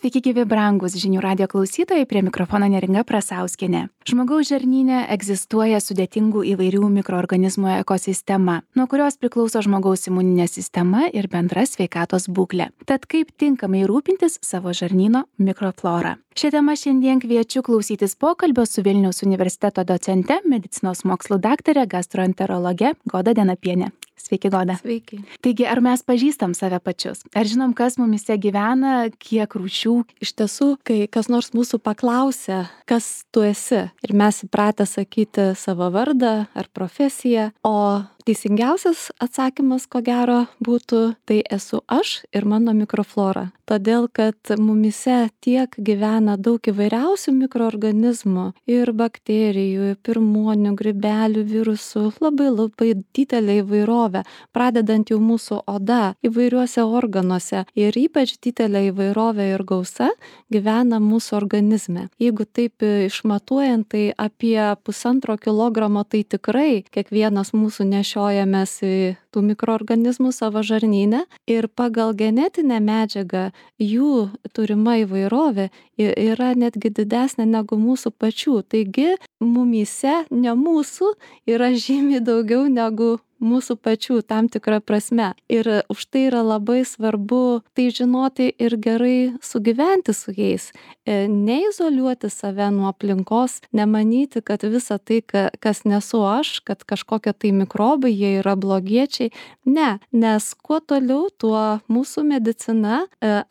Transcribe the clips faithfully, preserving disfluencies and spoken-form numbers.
Sveiki gyvi brangus žinių radijo klausytojai, prie mikrofono Neringa Prasauskienė. Žmogaus žarnyne egzistuoja sudėtingų įvairių mikroorganizmų ekosistema, nuo kurios priklauso žmogaus imuninė sistema ir bendra sveikatos būklė. Tad kaip tinkamai rūpintis savo žarnyno mikroflora? Šią temą šiandien kviečiu klausytis pokalbio su Vilniaus universiteto docente, medicinos mokslų daktare, gastroenterologe Goda Denapienė. Sveiki, Goda. Sveiki. Taigi, ar mes pažįstam save pačius? Ar žinom, kas mumise gyvena, kiek rūšių? Iš tiesų, kai kas nors mūsų paklausia, kas tu esi, ir mes įpratę sakyti savo vardą ar profesiją, o teisingiausias atsakymas, ko gero, būtų, tai esu aš ir mano mikroflora. Todėl, kad mumise tiek gyvena daug įvairiausių mikroorganizmų ir bakterijų, pirmuonių, grybelių, virusų, labai labai didelė įvairovė, pradedant jau mūsų oda įvairiuose organuose ir ypač didelė įvairovė ir gausa gyvena mūsų organizme. Jeigu taip išmatuojant, tai apie pusantro kilogramo tai tikrai kiekvienas mūsų nešiojamės į tų mikroorganizmų savo žarnyne ir pagal genetinę medžiagą jų turima įvairovė yra netgi didesnė negu mūsų pačių. Taigi mumyse, ne mūsų, yra žymiai daugiau negu mūsų pačių tam tikrą prasme. Ir už tai yra labai svarbu tai žinoti ir gerai sugyventi su jais. Neizoliuoti save nuo aplinkos, nemanyti, kad visa tai, kas nesu aš, kad kažkokie tai mikrobai, jie yra blogiečiai. Ne, nes kuo toliau, tuo mūsų medicina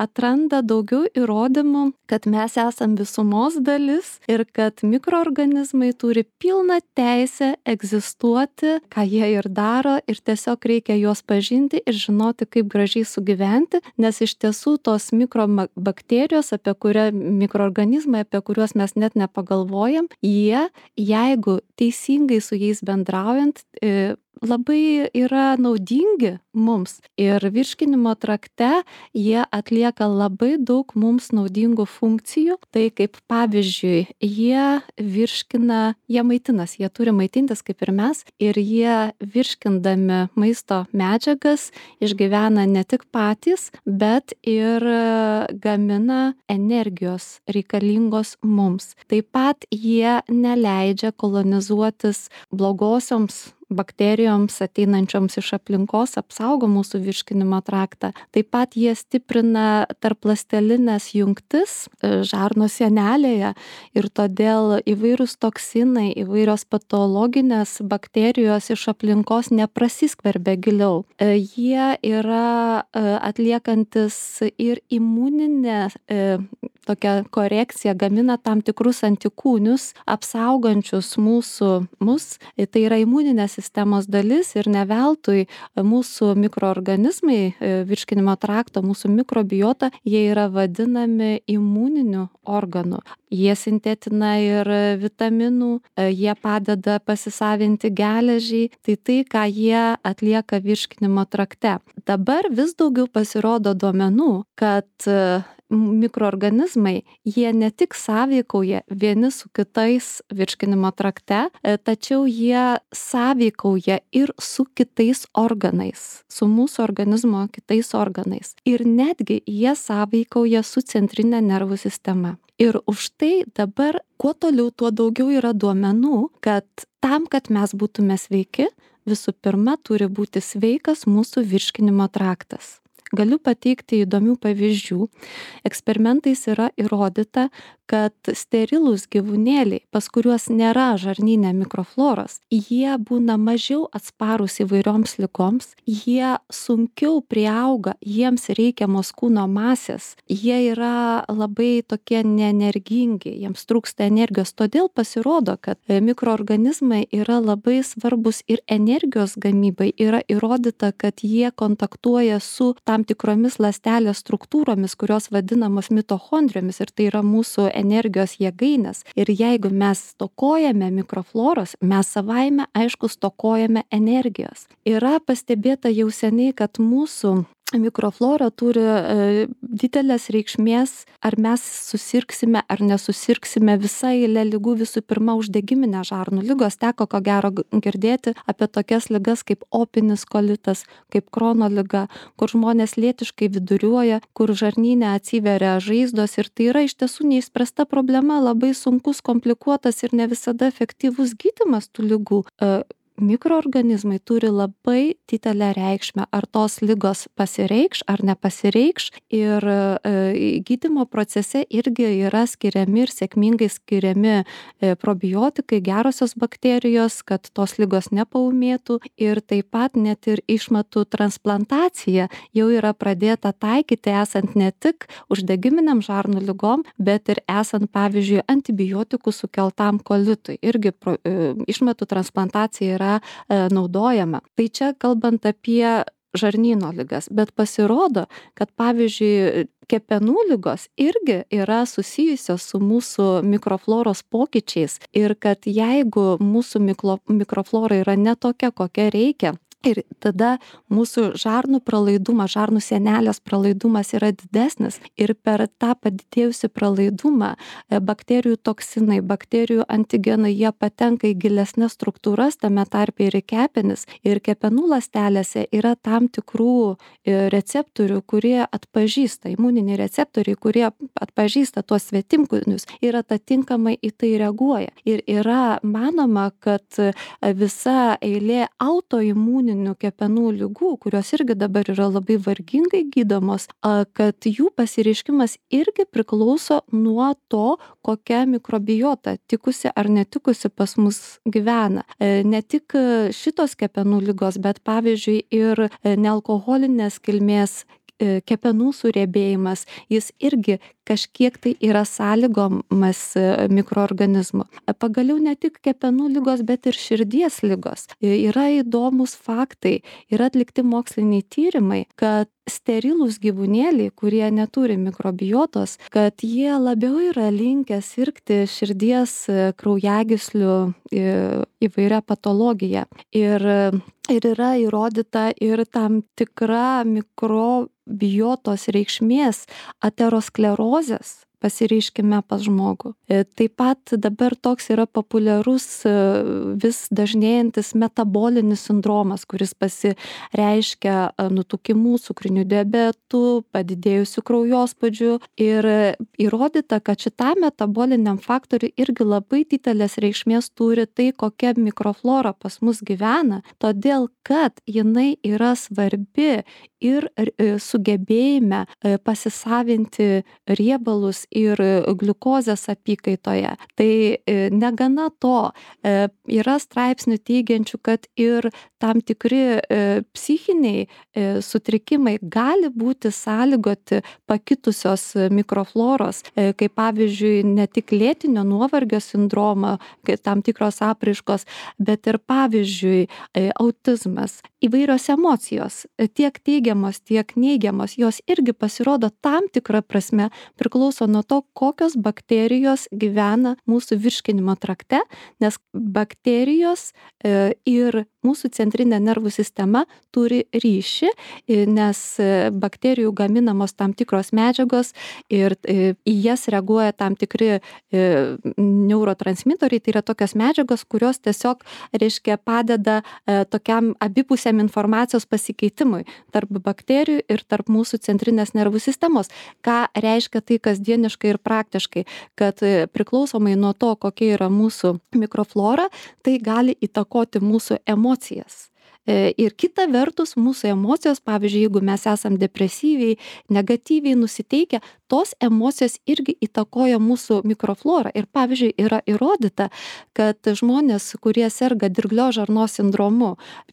atranda daugiau įrodymų, kad mes esam visumos dalis ir kad mikroorganizmai turi pilną teisę egzistuoti, ką jie ir daro, ir tiesiog reikia juos pažinti ir žinoti, kaip gražiai sugyventi, nes iš tiesų tos mikrobakterijos, apie kurią mikroorganizmai, apie kuriuos mes net nepagalvojam, jie, jeigu teisingai su jais bendraujant, labai yra naudingi mums ir virškinimo trakte jie atlieka labai daug mums naudingų funkcijų. Tai kaip pavyzdžiui, jie virškina, jie maitinas, jie turi maitintis kaip ir mes ir jie virškindami maisto medžiagas išgyvena ne tik patys, bet ir gamina energijos reikalingos mums. Taip pat jie neleidžia kolonizuotis blogosioms bakterijoms ateinančioms iš aplinkos, apsaugo mūsų virškinimo traktą. Taip pat jie stiprina tarpląstelines jungtis žarno sienelėje ir todėl įvairūs toksinai, įvairios patologinės bakterijos iš aplinkos neprasiskverbia giliau. Jie yra atliekantis ir imuninę tokią korekciją, gamina tam tikrus antikūnius, apsaugančius mūsų mus. Tai yra imuninė sistemos dalis ir ne veltui mūsų mikroorganizmai, virškinimo trakto, mūsų mikrobiota, jie yra vadinami imuniniu organu. Jie sintetina ir vitaminų, jie padeda pasisavinti geležį, tai tai, ką jie atlieka virškinimo trakte. Dabar vis daugiau pasirodo duomenų, kad mikroorganizmai, jie ne tik sąveikauja vieni su kitais virškinimo trakte, tačiau jie sąveikauja ir su kitais organais, su mūsų organizmo kitais organais. Ir netgi jie sąveikauja su centrinė nervų sistema. Ir už tai dabar, kuo toliau, tuo daugiau yra duomenų, kad tam, kad mes būtume sveiki, visų pirma turi būti sveikas mūsų virškinimo traktas. Galiu pateikti įdomių pavyzdžių. Eksperimentais yra įrodyta, kad sterilūs gyvūnėliai, pas kuriuos nėra žarnyne mikrofloros, jie būna mažiau atsparūs įvairioms ligoms, jie sunkiau priauga jiems reikiamos kūno masės, jie yra labai tokie neenergingi, jiems trūksta energijos. Todėl pasirodo, kad mikroorganizmai yra labai svarbus ir energijos gamybai. Yra įrodyta, kad jie kontaktuoja su tam tikromis ląstelės struktūromis, kurios vadinamos mitochondrijomis, ir tai yra mūsų energijos jėgainės. Ir jeigu mes stokojame mikrofloros, mes savaime, aišku, stokojame energijos. Yra pastebėta jau seniai, kad mūsų mikroflora turi e, didelės reikšmės, ar mes susirgsime ar nesusirgsime visa eilė ligų, visų pirma uždegiminė žarnų lygos. Teko ko gero girdėti apie tokias ligas kaip opinis kolitas, kaip Krono liga, kur žmonės lėtiškai viduriuoja, kur žarnyne atsiveria žaizdos ir tai yra iš tiesų neišspręsta problema, labai sunkus, komplikuotas ir ne visada efektyvus gydymas tų ligų. E, Mikroorganizmai turi labai didelę reikšmę, ar tos ligos pasireikš ar nepasireikš, ir e, gydymo procese irgi yra skiriami ir sėkmingai skiriami e, probiotikai, gerosios bakterijos, kad tos ligos nepaūmėtų, ir taip pat net ir išmatų transplantacija jau yra pradėta taikyti esant ne tik uždegiminiam žarnų ligom, bet ir esant pavyzdžiui antibiotikų sukeltam kolitui. Irgi pro, e, išmatų transplantacija yra yra naudojama. Tai čia kalbant apie žarnyno ligas, bet pasirodo, kad pavyzdžiui kepenų ligos irgi yra susijusios su mūsų mikrofloros pokyčiais ir kad jeigu mūsų mikro, mikroflora yra ne tokia, kokia reikia, ir tada mūsų žarnų pralaidumas, žarnų sienelės pralaidumas yra didesnis ir per tą padidėjusią pralaidumą bakterijų toksinai, bakterijų antigenai, jie patenka į gilesnes struktūras, tame tarpe ir į kepenis. Ir kepenų ląstelėse yra tam tikrų receptorių, kurie atpažįsta, imuniniai receptoriai, kurie atpažįsta tuos svetimkūnius ir atitinkamai į tai reaguoja. Ir yra manoma, kad visa eilė autoimuninių kepenų ligų, kurios irgi dabar yra labai vargingai gydomos, kad jų pasireiškimas irgi priklauso nuo to, kokia mikrobiota tikusi ar netikusi pas mus gyvena. Ne tik šitos kepenų ligos, bet pavyzdžiui ir nealkoholinės kilmės kepenų suriebėjimas, jis irgi kažkiek tai yra sąlygomas mikroorganizmų. Pagaliau ne tik kepenų ligos, bet ir širdies ligos. Yra įdomus faktai, yra atlikti moksliniai tyrimai, kad sterilūs gyvūnėliai, kurie neturi mikrobiotos, kad jie labiau yra linkę sirgti širdies kraujagyslių įvairia patologija. Ir, ir yra įrodyta ir tam tikra mikrobiotos reikšmės aterosklerozės pasireiškime pas žmogų. Taip pat dabar toks yra populiarus vis dažnėjantis metabolinis sindromas, kuris pasireiškia nutukimu, cukriniu diabetu, padidėjusiu kraujospūdžiu, ir įrodyta, kad šitam metaboliniam faktoriui irgi labai didelės reikšmės turi tai, kokia mikroflora pas mus gyvena, todėl kad jinai yra svarbi ir sugebėjime pasisavinti riebalus ir gliukozės apykaitoje. Tai negana to, yra straipsnių teigiančių, kad ir tam tikri psichiniai sutrikimai gali būti sąlygoti pakitusios mikrofloros, kaip pavyzdžiui ne tik lėtinio nuovargio sindromo, tam tikros apraiškos, bet ir pavyzdžiui autizmas. Įvairios emocijos, tiek teigiamos, tiek neigiamos, jos irgi pasirodo tam tikrą prasme priklauso nuo to, kokios bakterijos gyvena mūsų virškinimo trakte, nes bakterijos ir mūsų centrinė nervų sistema turi ryšį, nes bakterijų gaminamos tam tikros medžiagos ir į jas reaguoja tam tikri neurotransmitoriai, tai yra tokios medžiagos, kurios tiesiog, reiškia, padeda tokiam abipusiam informacijos pasikeitimui tarp bakterijų ir tarp mūsų centrinės nervų sistemos. Ką reiškia tai kasdieniškai ir praktiškai, kad priklausomai nuo to, kokia yra mūsų mikroflora, tai gali įtakoti mūsų emocijas. Ir kita vertus, mūsų emocijos, pavyzdžiui, jeigu mes esam depresyviai, negatyviai nusiteikę, tos emocijos irgi įtakoja mūsų mikroflorą. Ir pavyzdžiui, yra įrodyta, kad žmonės, kurie serga dirglio žarnos sindromu,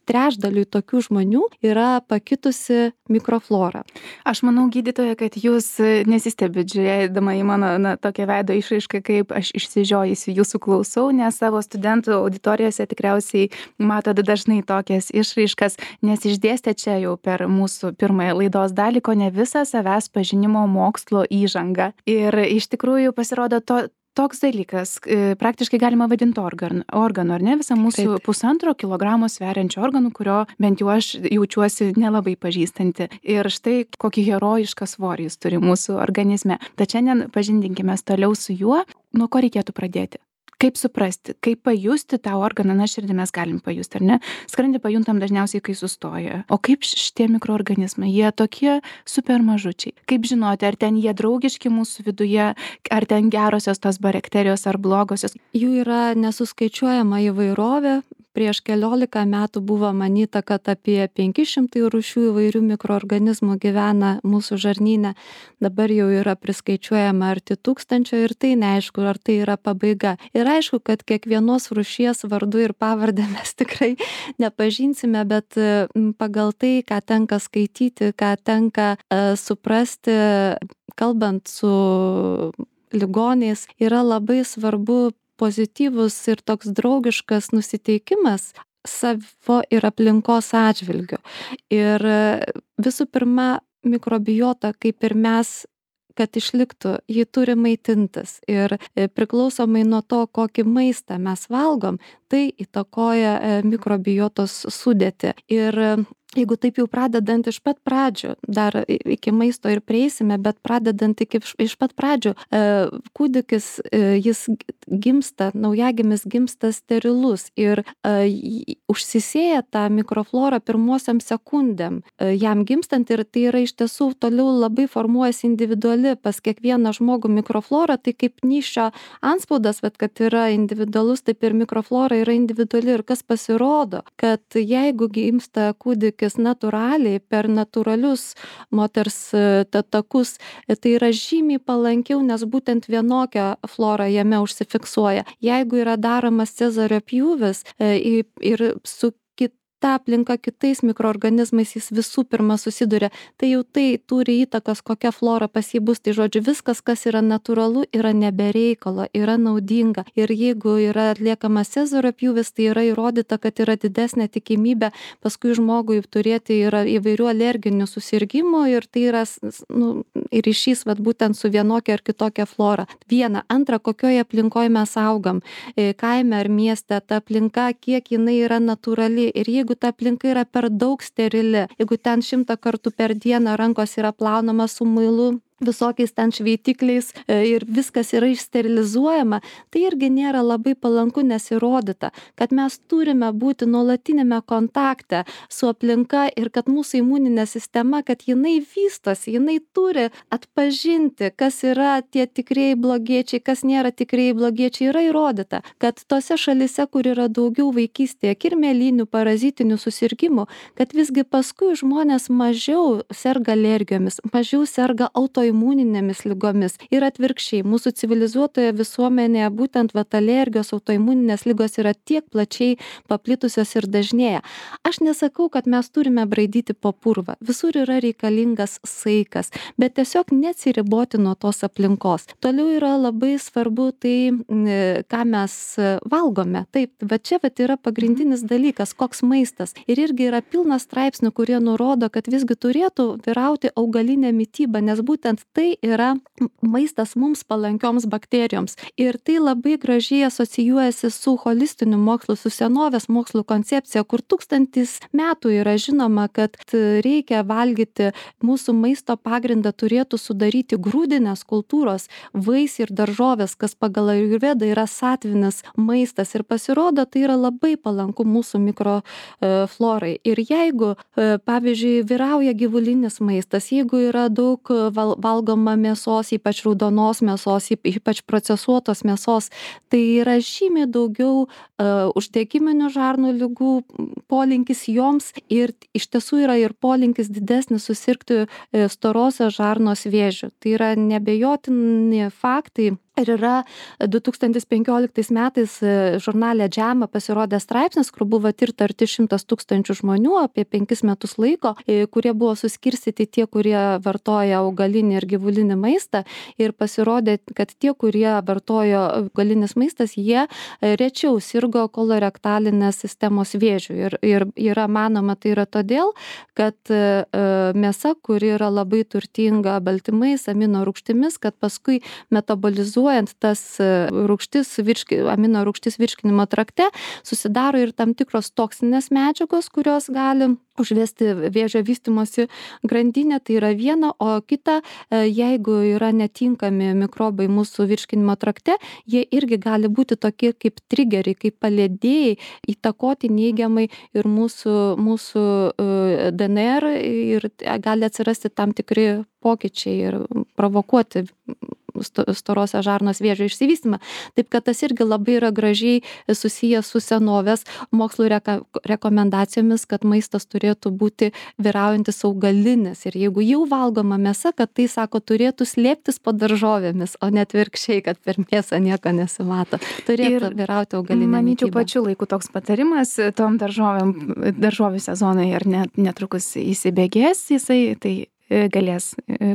trečdaliui tokių žmonių yra pakitusi mikroflora. Aš manau, gydytoja, kad jūs nesistebit žiūrėdama į mano na, tokią veido išraišką, kaip aš išsižiojusi jūsų klausau, nes savo studentų auditorijose tikriausiai matote dažnai tokias išraiškas, nes išdėstė čia jau per mūsų pirmąją laidos dalį, ko ne visą savęs pažinimo mokslo įžangą. Ir iš tikrųjų pasirodo to toks dalykas, e, praktiškai galima vadinti organ, organu, ar ne, visą mūsų Taip. pusantro kilogramo sveriančio organų, kurio bent jau aš jaučiuosi nelabai pažįstanti. Ir štai kokį herojišką svorį jis turi mūsų organizme. Tad šiandien pažindinkime toliau su juo, nuo ko reikėtų pradėti. Kaip suprasti, kaip pajusti tą organą, na širdį mes galim pajusti, ar ne? Skrandį pajuntam dažniausiai, kai sustoja. O kaip šitie mikroorganizmai, jie tokie super mažučiai. Kaip žinoti, ar ten jie draugiški mūsų viduje, ar ten gerosios tos bakterijos ar blogosios? Jų yra nesuskaičiuojama įvairovė. Prieš keliolika metų buvo manyta, kad apie penki šimtai rūšių įvairių mikroorganizmų gyvena mūsų žarnyne. Dabar jau yra priskaičiuojama arti tūkstančio ir tai neaišku, ar tai yra pabaiga. Ir aišku, kad kiekvienos rūšies vardu ir pavardę mes tikrai nepažinsime, bet pagal tai, ką tenka skaityti, ką tenka uh, suprasti, kalbant su ligoniais, yra labai svarbu pozityvus ir toks draugiškas nusiteikimas savo ir aplinkos atžvilgiu. Ir visų pirma, mikrobiota, kaip ir mes, kad išliktų, ji turi maitintis. Ir priklausomai nuo to, kokį maistą mes valgom, tai įtakoja mikrobiotos sudėtį. Ir jeigu taip jau pradedant iš pat pradžių, dar iki maisto ir prieisime, bet pradedant iki iš pat pradžių, kūdikis, jis gimsta, naujagimis gimsta sterilus ir užsisėja tą mikroflorą pirmosiam sekundėm jam gimstant ir tai yra iš tiesų toliau labai formuojasi individuali pas kiekvieną žmogų mikroflora, tai kaip nyščio antspaudas, bet kad yra individualus, taip ir mikroflora yra individuali ir kas pasirodo, kad jeigu gimsta kūdikis natūraliai per natūralius moters takus, tai yra žymiai palankiau, nes būtent vienokia flora jame užsifiksuoja. Jeigu yra daromas cezario pjūvis ir su ta aplinka kitais mikroorganizmais jis visų pirma susiduria, tai jau tai turi įtakos, kokia flora pas jį bus. Tai žodžiu, viskas, kas yra natūralu, yra nebereikalo, yra naudinga. Ir jeigu yra atliekamas cezario pjūvis, tai yra įrodyta, kad yra didesnė tikimybė paskui žmogui turėti yra įvairių alerginių susirgymų ir tai yra nu, ryšys vat, būtent su vienokia ar kitokia flora. Viena. Antra, kokioje aplinkoje mes augam, kaime ar mieste, ta aplinka, kiek jinai yra natūrali. Ir jeigu Jeigu ta aplinka yra per daug sterili, jeigu ten šimtą kartų per dieną rankos yra plaunama su muilu, visokiais ten šveitikliais ir viskas yra išsterilizuojama, tai irgi nėra labai palanku, nes įrodyta, kad mes turime būti nuolatinėme kontakte su aplinka ir kad mūsų imuninė sistema, kad jinai vystosi, jinai turi atpažinti, kas yra tie tikrieji blogiečiai, kas nėra tikrieji blogiečiai, yra įrodyta, kad tose šalise, kur yra daugiau vaikystėje kirmėlinių, parazitinių susirgymų, kad visgi paskui žmonės mažiau serga alergijomis, mažiau serga autoimuninėmis imuninėmis ligomis. Ir atvirkščiai, mūsų civilizuotoje visuomenėje būtent vat alergijos, autoimuninės ligos yra tiek plačiai paplitusios ir dažnėja. Aš nesakau, kad mes turime braidyti po purvą. Visur yra reikalingas saikas, bet tiesiog neatsiriboti nuo tos aplinkos. Toliau yra labai svarbu tai, ką mes valgome. Taip, bet čia vat yra pagrindinis dalykas, koks maistas. Ir irgi yra pilnas straipsnių, kurie nurodo, kad visgi turėtų vyrauti augalinė mityba, nes būtent tai yra maistas mums palankioms bakterijoms. Ir tai labai gražiai asocijuojasi su holistiniu mokslu, su senovės mokslo koncepcija, kur tūkstantis metų yra žinoma, kad reikia valgyti, mūsų maisto pagrindą turėtų sudaryti grūdinės kultūros, vaisiai ir daržovės, kas pagal ajurvedą yra satvinis maistas. Ir pasirodo, tai yra labai palanku mūsų mikroflorai. Ir jeigu, pavyzdžiui, vyrauja gyvulinis maistas, jeigu yra daug val valgoma mėsos, ypač raudonos mėsos, ypač procesuotos mėsos, tai yra žymiai daugiau uh, uždegiminių žarnų ligų polinkis joms ir iš tiesų yra ir polinkis didesnis susirgti uh, storosios žarnos vėžiu. Tai yra nebejotini faktai. Ir yra du tūkstantis penkioliktais metais žurnale JAMA pasirodė straipsnis, kur buvo tirta arti šimtas tūkstančių žmonių apie penkis metus laiko, kurie buvo suskirstyti tie, kurie vartoja augalinį ir gyvulinį maistą. Ir pasirodė, kad tie, kurie vartojo augalinis maistas, jie rečiau sirgo kolorektalinės sistemos vėžiu. Ir, ir yra manoma, tai yra todėl, kad mėsa, kuri yra labai turtinga baltymais, amino rūgštimis, kad paskui metabolizuoja filtruojant tas rūgštis, virški, amino rūgštis virškinimo trakte, susidaro ir tam tikros toksinės medžiagos, kurios gali užvesti vėžio vystymosi grandinę, tai yra viena, o kita, jeigu yra netinkami mikrobai mūsų virškinimo trakte, jie irgi gali būti tokie kaip trigeriai, kaip palėdėjai, įtakoti neigiamai ir mūsų, mūsų D N R ir gali atsirasti tam tikri pokyčiai ir provokuoti storosios žarnos vėžio išsivystymą. Taip kad tas irgi labai yra gražiai susijęs su senovės mokslo reka, rekomendacijomis, kad maistas turėtų būti vyraujantis augalinis. Ir jeigu jau valgoma mėsa, kad tai, sako, turėtų slėptis po daržovėmis, o net virkščiai, kad per mėsą nieko nesimato. Turėtų ir vyrauti augalinė manyčiau, mityba. pačiu laiku toks patarimas tom daržovėm, daržovių sezonai ir net, netrukus įsibėgės jisai, tai galės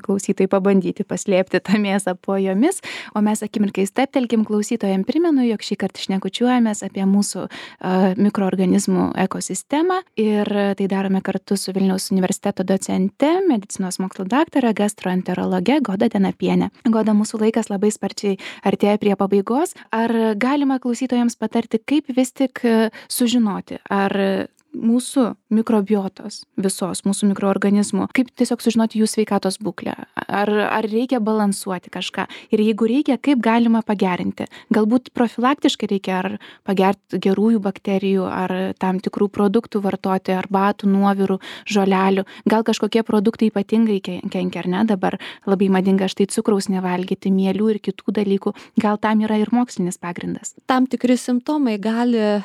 klausytojai pabandyti paslėpti tą mėsą po jomis, o mes akimirkai steptelkim, klausytojam primenu, jog šį kartą šnekučiuojamės apie mūsų uh, mikroorganizmų ekosistemą ir tai darome kartu su Vilniaus universiteto docente, medicinos mokslo daktare, gastroenterologe Goda Denapiene. Goda, mūsų laikas labai sparčiai artėja prie pabaigos. Ar galima klausytojams patarti, kaip vis tik sužinoti, ar mūsų mikrobiotos, visos mūsų mikroorganizmų, kaip tiesiog sužinoti jų sveikatos būklę, ar, ar reikia balansuoti kažką ir jeigu reikia, kaip galima pagerinti. Galbūt profilaktiškai reikia ar pagerti gerųjų bakterijų, ar tam tikrų produktų vartoti, arbatų, nuovirų, žolelių. Gal kažkokie produktai ypatingai kenkia, ar ne? Dabar labai madinga štai cukraus nevalgyti, mielių ir kitų dalykų. Gal tam yra ir mokslinis pagrindas? Tam tikri simptomai gali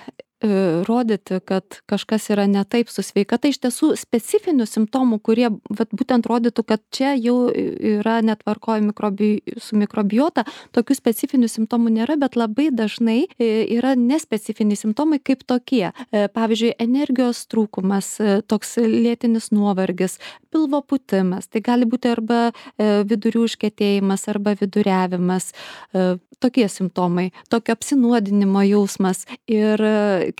rodyti, kad kažkas yra ne taip su sveikata. Iš tiesų specifinių simptomų, kurie vat, būtent rodytų, kad čia jau yra netvarkoja mikrobi, su mikrobiota, tokių specifinių simptomų nėra, bet labai dažnai yra nespecifiniai simptomai kaip tokie. Pavyzdžiui, energijos trūkumas, toks lėtinis nuovargis, pilvo pūtimas, tai gali būti arba vidurių užkietėjimas, arba viduriavimas, tokie simptomai, tokio apsinuodinimo jausmas. Ir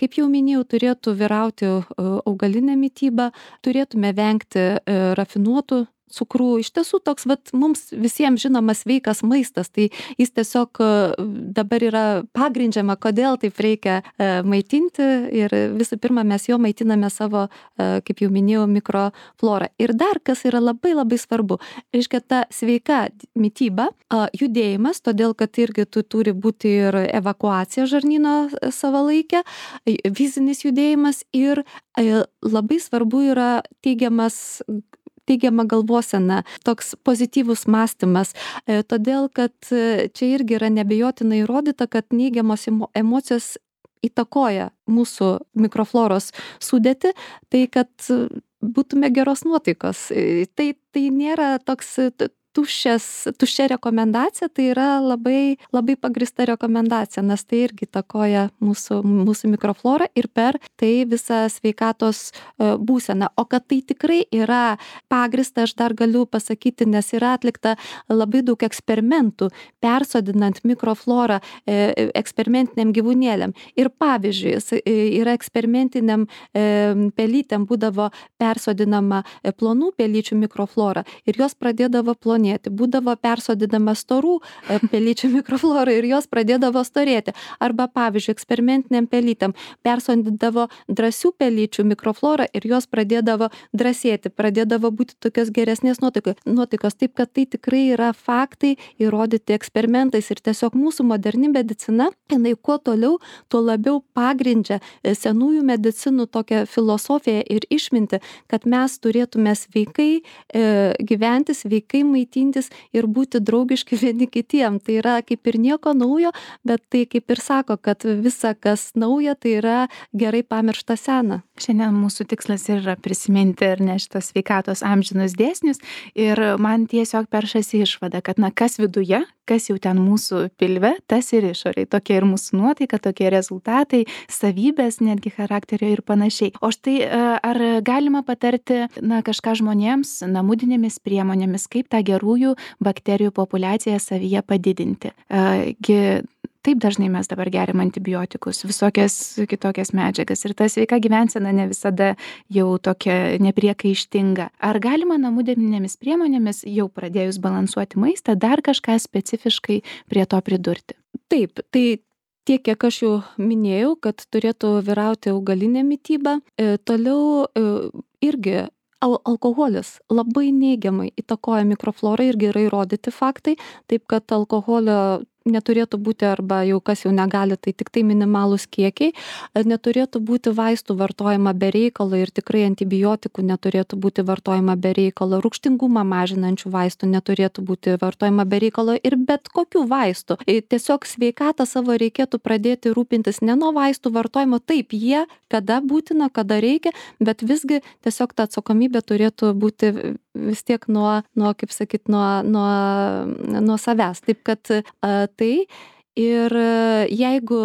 kaip jau minėjau, turėtų vyrauti augalinė mityba, turėtume vengti rafinuotų cukrų. Iš tiesų toks, vat, mums visiems žinomas sveikas maistas, tai jis tiesiog dabar yra pagrindžiama, kodėl taip reikia maitinti ir visų pirma mes jo maitiname savo, kaip jau minėjau, mikroflorą. Ir dar, kas yra labai labai svarbu, reiškia ta sveika mityba, judėjimas, todėl kad irgi tu turi būti ir evakuacija žarnyno savalaikė, fizinis judėjimas ir labai svarbu yra teigiamas teigiama galvosena, toks pozityvus mąstymas, todėl kad čia irgi yra neabejotinai įrodyta, kad neigiamos emocijos įtakoja mūsų mikrofloros sudėtį, tai kad būtume geros nuotaikos. Tai, tai nėra toks tuščias, tuščia rekomendacija, tai yra labai, labai pagrįsta rekomendacija, nes tai irgi įtakoja mūsų, mūsų mikroflorą ir per tai visą sveikatos būseną. O kad tai tikrai yra pagrįsta, aš dar galiu pasakyti, nes yra atlikta labai daug eksperimentų, persodinant mikroflorą eksperimentiniam gyvūnėliam. Ir pavyzdžiui, yra eksperimentiniam pelytėm būdavo persodinama plonų pelyčių mikroflora ir jos pradėdavo plonėti. Būdavo persodinama storų pelyčių mikroflora ir jos pradėdavo storėti. Arba, pavyzdžiui, eksperimentiniam pelytėm persodindavo drąsių pelyčių mikroflorą ir jos pradėdavo drąsėti, pradėdavo būti tokios geresnės nuotaikos. Taip, kad tai tikrai yra faktai įrodyti eksperimentais ir tiesiog mūsų moderni medicina, jinai kuo toliau, tuo labiau pagrindžia senųjų medicinų tokią filosofiją ir išmintį, kad mes turėtume sveikai e, gyventi, sveikai maitintis ir būti draugiški vieni kitiem. Tai yra kaip ir nieko naujo, bet tai kaip ir sako, kad visa, kas nauja, tai yra gerai pamiršta sena. Šiandien mūsų tikslas yra prisiminti ir ne šitos sveikatos amžinus dėsnius ir man tiesiog peršasi išvada, kad na kas viduje, kas jau ten mūsų pilve, tas ir išoriai. Tokia ir mūsų nuotaika, tokie rezultatai, savybės, netgi charakterio ir panašiai. O štai ar galima patarti na, kažką žmonėms namudinėmis priemonėmis, kaip tą gerųjų bakterijų populiaciją savyje padidinti? Gi Taip dažnai mes dabar geriam antibiotikus, visokias kitokias medžiagas ir ta sveika gyvensena ne visada jau tokia nepriekaištinga. Ar galima namų dėminėmis priemonėmis, jau pradėjus balansuoti maistą, dar kažką specifiškai prie to pridurti? Taip, tai tiek, kiek aš jau minėjau, kad turėtų vyrauti augalinė mityba. E, toliau e, irgi al alkoholis labai neigiamai įtakoja mikroflorą, irgi yra įrodyti faktai, taip kad alkoholio neturėtų būti, arba jau kas jau negali, tai tik tai minimalūs kiekiai, neturėtų būti vaistų vartojama be reikalo ir tikrai antibiotikų neturėtų būti vartojama be reikalo, rūgštingumą mažinančių vaistų neturėtų būti vartojama be reikalo ir bet kokių vaistų. Tiesiog sveikatą savo reikėtų pradėti rūpintis ne nuo vaistų vartojimo, taip jie kada būtina, kada reikia, bet visgi tiesiog ta atsakomybė turėtų būti vis tiek nuo, nuo kaip sakyt, nuo, nuo, nuo savęs. Taip kad a, tai ir jeigu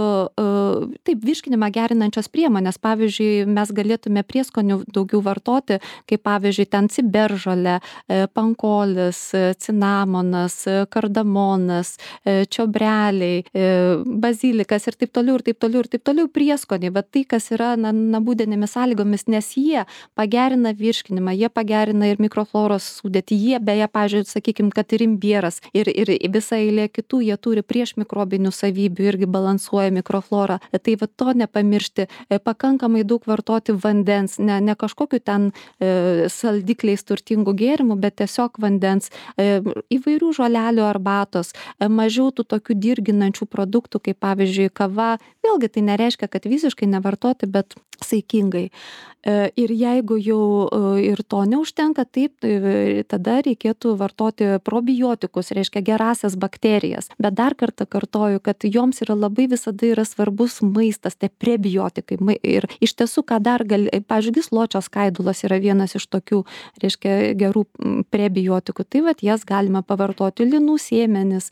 taip virškinimą gerinančios priemonės, pavyzdžiui, mes galėtume prieskonių daugiau vartoti, kaip pavyzdžiui, ten ciberžolė, pankolis, cinamonas, kardamonas, čiobreliai, bazilikas ir taip toliau, ir taip toliau, ir taip toliau prieskoniai, bet tai, kas yra na, namudinėmis sąlygomis, nes jie pagerina virškinimą, jie pagerina ir mikrofloros sudėtį, jie beje, pavyzdžiui, sakykime, kad ir imbieras, ir, ir visa eilė kitų, jie turi prieš mikrobinį savybių, irgi balansuoja mikroflorą. Tai va to nepamiršti, pakankamai daug vartoti vandens, ne, ne kažkokiu ten e, saldikliais turtingų gėrimų, bet tiesiog vandens, e, įvairių žolelių arbatos, e, mažiau tų tokių dirginančių produktų, kaip pavyzdžiui kava. Vėlgi tai nereiškia, kad visiškai nevartoti, bet saikingai. E, ir jeigu jau e, ir to neužtenka, taip, tai tada reikėtų vartoti probiotikus, reiškia gerasias bakterijas. Bet dar kartą kartoju, kad joms yra labai visada yra svarbus maistas, tai prebiotikai. Ir iš tiesų, ką dar gali, pavyzdžiui, gysločio skaidulos yra vienas iš tokių, reiškia, gerų prebiotikų. Tai vat jas galima pavartoti, linų sėmenis,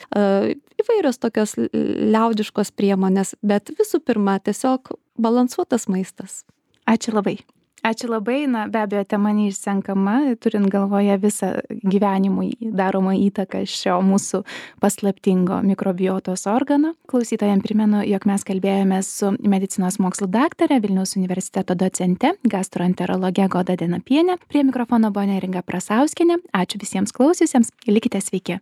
įvairios tokios liaudiškos priemonės, bet visų pirma, tiesiog balansuotas maistas. Ačiū labai. Ačiū labai, na be abejo, tema neišsenkama, turint galvoje visą gyvenimui daromą įtaką šio mūsų paslaptingo mikrobiotos organo. Klausytojams primenu, jog mes kalbėjome su medicinos mokslų daktare, Vilniaus universiteto docente, gastroenterologe Goda Denapiene. Prie mikrofono buvo Neringa Prasauskienė. Ačiū visiems klausiusiems. Likite sveiki.